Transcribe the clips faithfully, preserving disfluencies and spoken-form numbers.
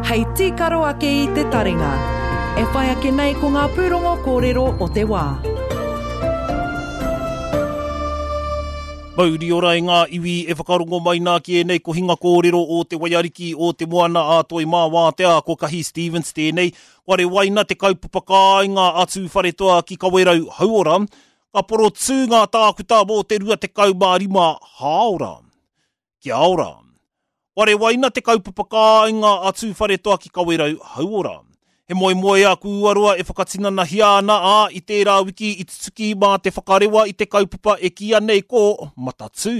Hei tīkaro ake i te taringa. E whai ake nei ko ngā pūrongo kōrero o te wā. Mauri ora i ngā iwi e whakarongo mai nā ki ēnei kohinga kōrero o te Waiariki o te Moana a Toi Mā Wātea, ko Kahi Stevens tēnei. Kua rewaina te kaupapa kāinga a Tūwharetoa ki Kawerau Hauora, ka porotū ngā tākuta mō te rua tekau mā rima hāora. Kia ora. Kua rewaina te kaupapa kāinga a Tūwharetoa ki Kawerau Hauora. He moemoeā kūaroa e whakatinanahia ana, ā, i tērā wiki i tutuki mā te whakarewa i te kaupapa e kīia nei ko Matatū.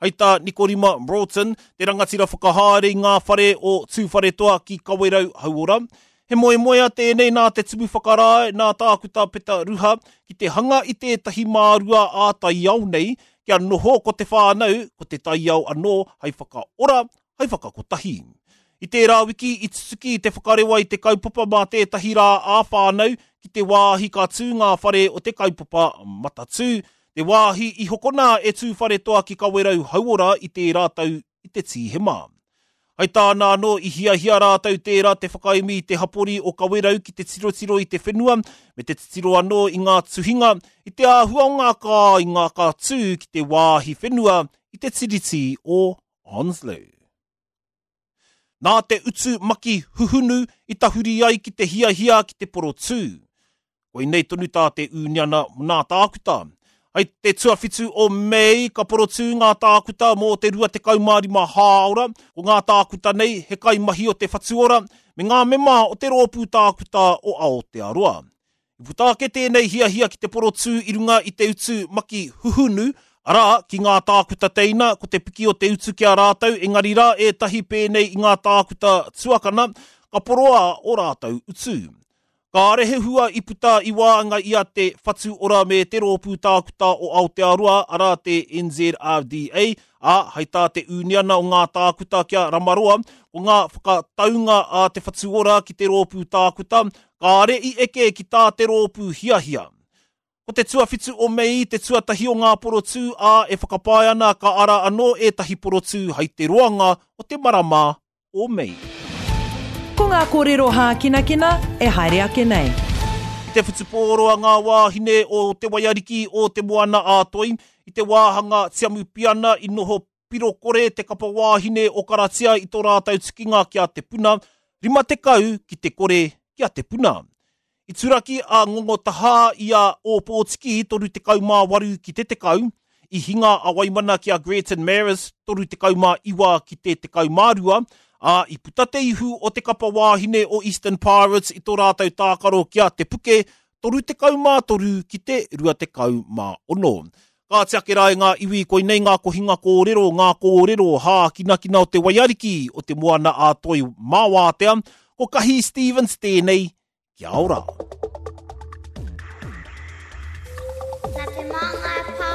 Hei tā Nikorima Broughton, te rangatira whakahaere i ngā whare o Tūwharetoa ki Kawerau Hauora, he moemoeā tēnei nā te tumu whakarae, nā Tākuta Peta Ruha, ki te hanga i tētahi mārua ā-taiao nei, kia noho ko te whānau, ko te taiao anō hei whakaora, hei whakakotahi. I tērā wiki i tutuki te whakarewa i te kaupapa mā tētahi rā ā-whānau ki te wāhi ka tū ngā whare o te kaupapa Matatū, te wāhi i hokona e Tūwharetoa ki Kawerau Hauora i tērā tau i te Tīhema. Hei tāna anō i hiahia rātou tērā te whakaemi i te hapori o Kawerau ki te tirotiro i te whenua me te titiro anō i ngā tuhinga i te āhua o ngā kāinga ka tū ki te wāhi whenua i te tiriti o Onslow. Nā te utu maki huhunu i tahuri ai ki te hiahia ki te porotū. Koinei tonu tā te ūniana nā tākuta. Hei te tuawhitu o Mei ka porotū ngā tākuta mō te rua tekau mā rima hāora, ko ngā tākuta nei he kaimahi o te Whatuora me ngā mema o te rōpū tākuta o Aotearoa. I puta ake tēnei hiahia ki te porotū i runga i te utu maki huhunu, arā, ki ngā tākuta teina, ko te piki o te utu ki a rātou, engari rā ētahi pēnei i ngā tākuta tuakana, ka poroa o rātou utu. Kāre he hua i puta i waenga i a te Whatu Ora me te Rōpū Tākuta o Aotearoa, arā te N Z R D A, ā, hei tā te ūniana o ngā tākuta kia Ramaroa, ko ngā whakataunga a te Whatu Ora ki te Rōpū Tākuta, kāre i eke ki tā te rōpū hiahia. Ko te tuawhitu o Mei, te tuatahi o ngā porotū, ā, e whakapae ana ka ara anō ētahi porotū hei te roanga o te marama o Mei. Ko ngā kōrero hākinakina e haere ake nei. I te whutupōro a ngā wāhine o te Waiariki o te Moana ā-Toi, i te wāhanga Tiamupiana i noho pirokore te kapa wāhine o Karatia i tō rātou tukinga ki a Te Puna, rima tekau ki te kore ki a Te Puna. I turaki a Ngongo Tahā i a Ōpōtiki toru tekau mā waru ki te tekau, i hinga a Waimana ki a Greaton Maris toru tekau mā iwa ki te tekau mā rua, ā, i puta te ihu o te kapa wāhine o Eastern Pirates i tō rātou tākaro ki a Te Puke, toru tekau mā toru ki te rua tekau mā ono. Ka ake rā i ngā iwi, koinei ngā kohinga kōrero, ngā kōrero hākinakina o te Waiariki, o te Moana ā-Toi mā Wātea, ko Kahi Stevens tēnei, kia ora. Nā te Māngai Pāho.